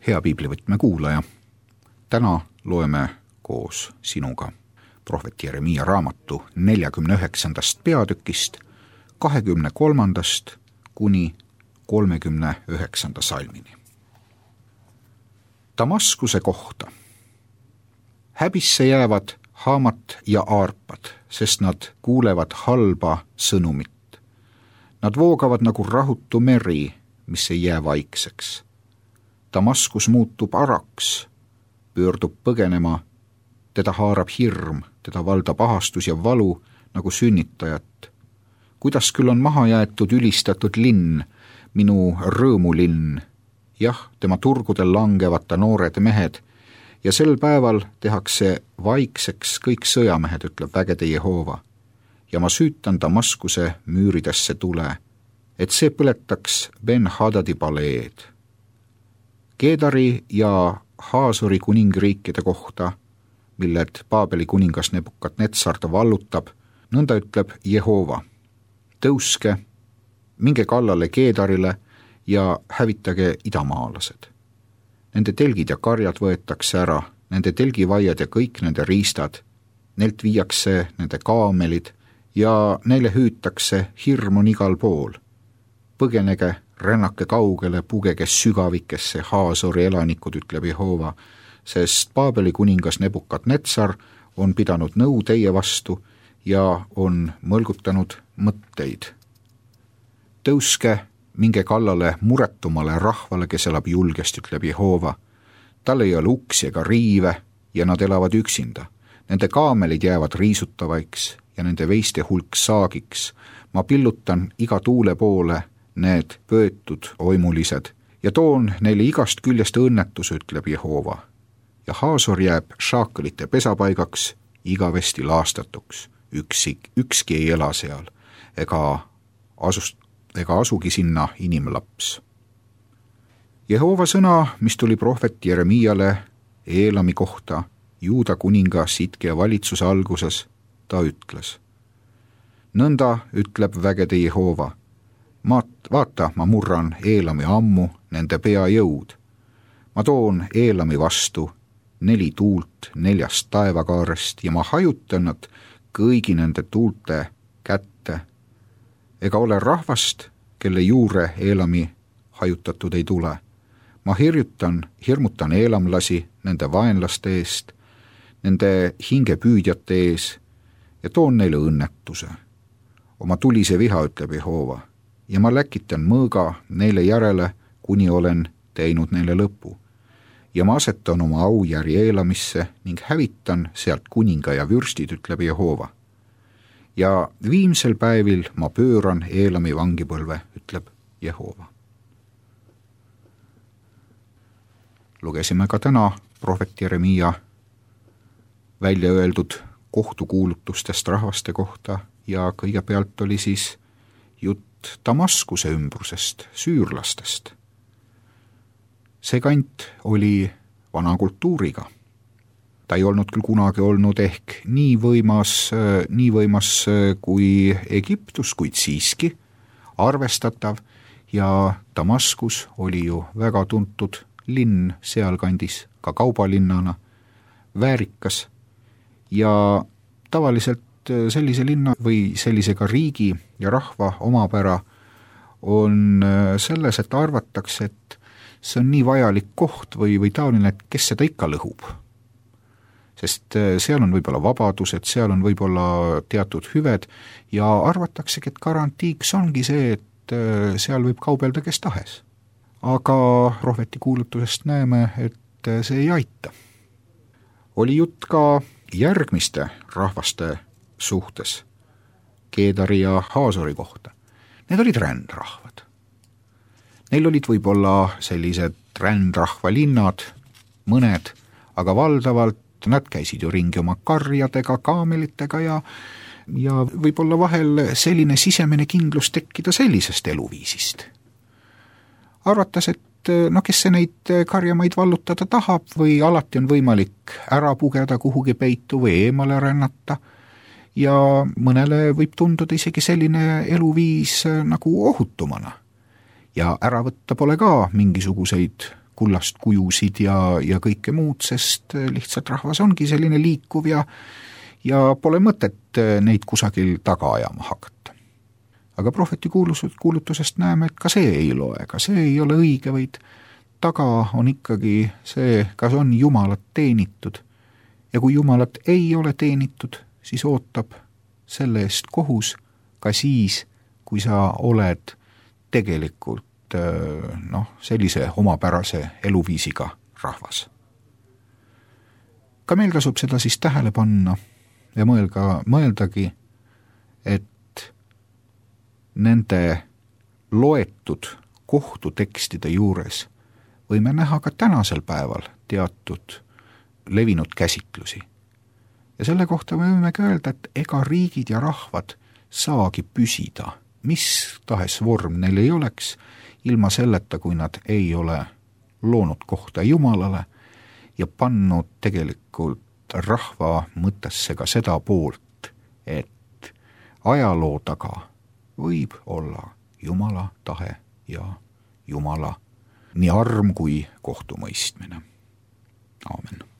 Hea piiblivõtme kuulaja, täna loeme koos sinuga prohvet Jeremiia raamatu 49. peatükist 23. kuni 39. salmini. Damaskuse kohta. Häbisse jäävad Haamat ja Aarpad, sest nad kuulevad halba sõnumit. Nad voogavad nagu rahutu meri, mis ei jää vaikseks. Damaskus muutub araks, pöördub põgenema, teda haarab hirm, teda valdab ahastus ja valu nagu sünnitajat. Kuidas küll on maha jäetud ülistatud linn, minu rõõmulinn. Jah, tema turgudel langevad ta noored mehed ja sel päeval tehakse vaikseks kõik sõjamehed, ütleb vägede Jehova. Ja ma süütan Damaskuse müüridesse tule, et see põletaks Ben-Hadadi paleed. Keedari ja Haasori kuningriikide kohta, milled Paabeli kuningas Nebukadnetsar ta vallutab, nõnda ütleb Jehova. Tõuske, minge kallale Keedarile ja hävitage idamaalased. Nende telgid ja karjad võetakse ära, nende telgivaiad ja kõik nende riistad, neilt viiakse nende kaamelid ja neile hüütakse, hirm on igal pool. Põgenege, rännake kaugele, pugege sügavikesse Haasori elanikud, ütleb Jehova, sest Paabeli kuningas Nebukadnetsar on pidanud nõu teie vastu ja on mõlgutanud mõtteid. Tõuske, minge kallale muretumale rahvale, kes elab julgest, ütleb Jehova. Tal ei ole uksi ega riive ja nad elavad üksinda. Nende kaamelid jäävad riisutavaiks ja nende veiste hulk saagiks. Ma pillutan iga tuule poole need pöötud oimulised ja toon neile igast küljest õnnetus, ütleb Jehova. Ja Haasor jääb šaakelite pesapaigaks, igavesti laastatuks. Ükski ei ela seal ega asugi sinna inimlaps. Jehova sõna, mis tuli prohvet Jeremiiale Eelami kohta Juuda kuninga Sidkia valitsuse alguses, ta ütles. Nõnda ütleb vägede Jehova. Vaata, ma murran Eelami ammu nende peajõud. Ma toon Eelami vastu 4 tuult 4 taevakaarest ja ma hajutan nad kõigi nende tuulte kätte. Ega ole rahvast, kelle juure Eelami hajutatud ei tule. Ma hirmutan eelamlasi nende vaenlaste eest, nende hingepüüdjate ees ja toon neile õnnetuse. Oma tulise viha, ütleb Jehova, ja ma läkitan mõõga neile järele, kuni olen teinud neile lõpu. Ja ma asetan oma aujärje Eelamisse ning hävitan sealt kuninga ja vürstid, ütleb Jehova. Ja viimsel päevil ma pööran Eelami vangipõlve, ütleb Jehova. Lugesime ka täna prohvet Jeremiia välja öeldud kohtukuulutustest rahvaste kohta ja kõigepealt oli siis jutt Damaskuse ümbrusest, süürlastest. See kant oli vana kultuuriga. Ta ei olnud küll kunagi olnud ehk nii võimas kui Egiptus, kuid siiski arvestatav ja Damaskus oli ju väga tuntud linn sealkandis, ka kaubalinnana, väärikas ja tavaliselt sellise linna või sellisega riigi ja rahva omapära on selles, et arvatakse, et see on nii vajalik koht või taoline, et kes seda ikka lõhub. Sest seal on võib-olla vabadused, seal on võib-olla teatud hüved ja arvataksegi, et garantiiks ongi see, et seal võib kaubelda kes tahes. Aga prohveti kuulutusest näeme, et see ei aita. Oli jutt ka järgmiste rahvaste suhtes, Keedari ja Haasori kohta. Need olid rändrahvad. Neil olid võib-olla sellised rändrahvalinnad, mõned, aga valdavalt nad käisid ju ringi oma karjadega, kaamelitega ja võib-olla vahel selline sisemine kindlus tekkida sellisest eluviisist. Arvatas, et kes see neid karjamaid vallutada tahab või alati on võimalik ära pugeda kuhugi peitu või eemale rännata ja mõnele võib tunduda isegi selline eluviis nagu ohutumana. Ja ära võtta pole ka mingisuguseid kullast kujusid ja kõike muud, sest lihtsalt rahvas ongi selline liikuv ja pole mõtet neid kusagil taga ajama hakata. Aga prohveti kuulutusest näeme, et ka see ei loe, ka see ei ole õige, vaid taga on ikkagi see, kas on Jumalat teenitud. Ja kui Jumalat ei ole teenitud, siis ootab selle eest kohus ka siis, kui sa oled tegelikult sellise omapärase eluviisiga rahvas. Ka meil tasub seda siis tähele panna ja mõeldagi, et nende loetud kohtutekstide juures võime näha ka tänasel päeval teatud levinud käsitlusi. Ja selle kohta võimegi öelda, et ega riigid ja rahvad saagi püsida, mis tahes vorm neil ei oleks, ilma selleta, kui nad ei ole loonud kohta Jumalale ja pannud tegelikult rahva mõttesse ka seda poolt, et ajaloo taga võib olla Jumala tahe ja Jumala nii arm kui kohtumõistmine. Aamen.